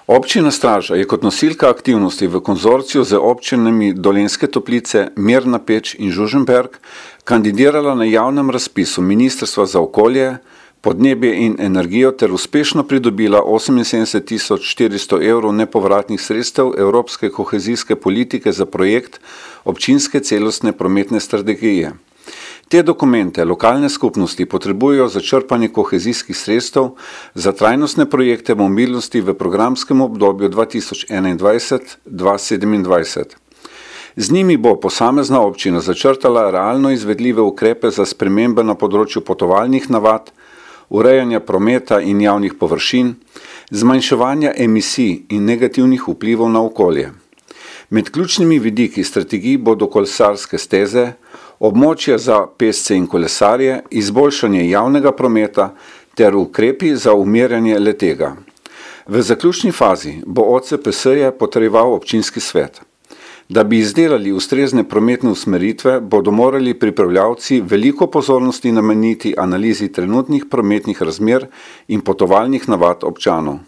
Občina Straža je kot nosilka aktivnosti v konzorciju z občinami Dolenjske Toplice, Mirna Peč in Žužemberk kandidirala na javnem razpisu Ministrstva za okolje, podnebje in energijo ter uspešno pridobila 78.400 evrov nepovratnih sredstev Evropske kohezijske politike za projekt občinske celostne prometne strategije. Te dokumente lokalne skupnosti potrebujejo za črpanje kohezijskih sredstev za trajnostne projekte mobilnosti v programskem obdobju 2021-2027. Z njimi bo posamezna občina začrtala realno izvedljive ukrepe za spremembe na področju potovalnih navad, urejanja prometa in javnih površin, zmanjševanja emisij in negativnih vplivov na okolje. Med ključnimi vidiki strategij bodo kolesarske steze, območja za pešce in kolesarje, izboljšanje javnega prometa ter ukrepi za umirjanje le-tega. V zaključni fazi bo OCPS-je potrjeval občinski svet. Da bi izdelali ustrezne prometne usmeritve, bodo morali pripravljavci veliko pozornosti nameniti analizi trenutnih prometnih razmer in potovalnih navad občanov.